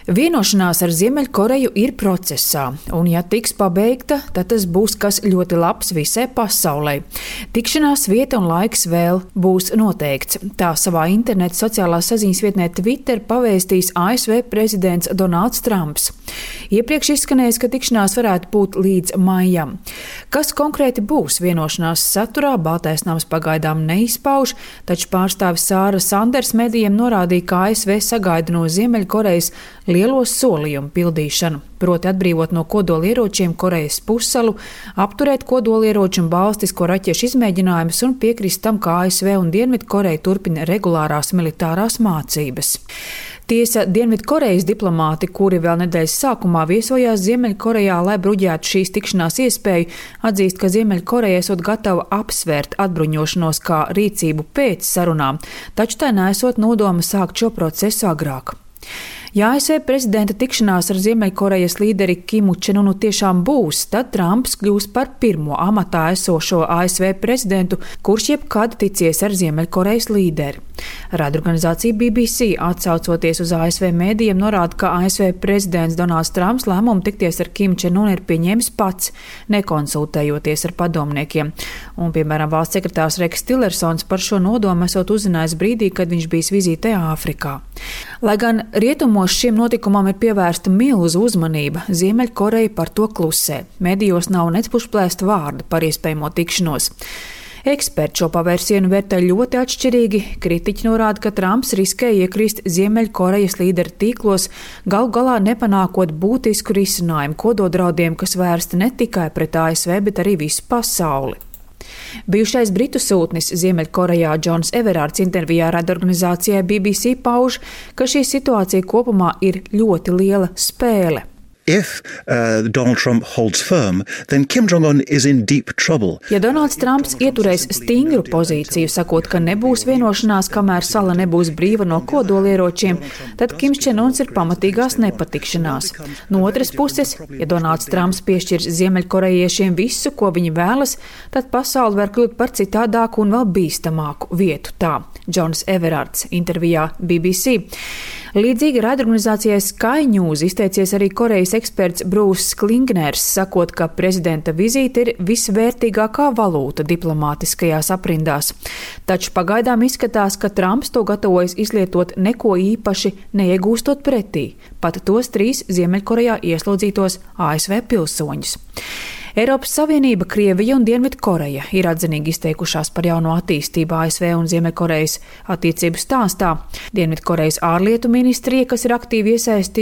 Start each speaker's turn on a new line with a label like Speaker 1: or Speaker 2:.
Speaker 1: Vienošanās ar Ziemeļkoreju ir procesā, un ja tiks pabeigta, tad tas būs kas ļoti labs visai pasaulē. Tikšanās vieta un laiks vēl būs noteikts. Tā savā interneta sociālās saziņas vietnē Twitter pavēstīs ASV prezidents Donalds Trumps. Iepriekš izskanējis, ka tikšanās varētu būt līdz maijam. Kas konkrēti būs vienošanās saturā, Baltais nams pagaidām neizpauž, taču pārstāvis Sāra Sanders medijiem norādīja, ka ASV sagaida no Ziemeļkorejas lielo solījumu pildīšanu, proti atbrīvot no kodolieročiem Korejas pussalu, apturēt kodolieroču un balistisko raķešu izmēģinājumus un piekrist tam, ka ASV un Dienvidkoreja turpina regulārās militārās mācības. Tiesa, Dienvidkorejas diplomāti, kuri vēl nedēļas sākumā viesojās Ziemeļkorejā, lai bruģētu šīs tikšanās iespēju, atzīst, ka Ziemeļkoreja esot gatava apsvērt atbruņošanos kā rīcību pēc sarunām, taču tā nesot nodoma sākt šo procesu agrāk. Ja ASV prezidenta tikšanās ar Ziemeļkorejas līderi Kimu Čenunu tiešām būs, tad Trumps kļūs par pirmo amatā esošo ASV prezidentu, kurš jebkad ticies ar Ziemeļkorejas līderi. Raidorganizācija BBC, atsaucoties uz ASV mēdījiem, norāda, ka ASV prezidents Donalds Trumps lēmumu tikties ar Kimu Čenunu ir pieņēmis pats, nekonsultējoties ar padomniekiem. Un, piemēram, valsts sekretārs Reks Tillersons par šo nodomu esot uzzinājis brīdī, kad viņš bijis vizītē Āfrikā. Lai gan rietumos šim notikumam ir pievērsta milzu uzmanība, Ziemeļkoreja par to klusē. Medijos nav nec pušplēsta vārda par iespējamo tikšanos. Eksperti šo pavērsienu vērtē ļoti atšķirīgi. Kritiķi norāda, ka Trumps riskē iekrist Ziemeļkorejas līderu tīklos, galu galā nepanākot būtisku risinājumu kododraudiem, kas vērsti ne tikai pret ASV, bet arī visu pasauli. Bijušais britu sūtnis Ziemeļkorejā Džons Everārds intervijā raidorganizācijai BBC pauž, ka šī situācija kopumā ir ļoti liela spēle.
Speaker 2: If Donald Trump holds firm, then Kim Jong-un is in deep trouble.
Speaker 1: Ja Donalds Trumps ieturēs stingru pozīciju, sakot, ka nebūs vienošanās, kamēr sala nebūs brīva no kodolieročiem, tad Kims Čenuns ir pamatīgās nepatikšanās. No otras puses, ja Donalds Trumps piešķirs Ziemeļkorejiešiem visu, ko viņi vēlas, tad pasauli var kļūt par citādāku un vēl bīstamāku vietu. Tā Džons Everārds intervijā BBC. Līdzīgi raidorganizācijai Sky News izteicies arī Korejas eksperts Brūss Klingners, sakot, ka prezidenta vizīte ir visvērtīgākā valūta diplomātiskajās aprindās. Taču pagaidām izskatās, ka Trumps to gatavojas izlietot neko īpaši neiegūstot pretī, pat tos 3 Ziemeļkorejā ieslodzītos ASV pilsoņus. Eiropas Savienība, Krievija un Dienvidkoreja ir atzinīgi izteikušās par jauno attīstību ASV un Ziemeļkorejas attiecību stāstā. Dienvidkorejas ārlietu ministrija, kas ir aktīvi iesaistījusies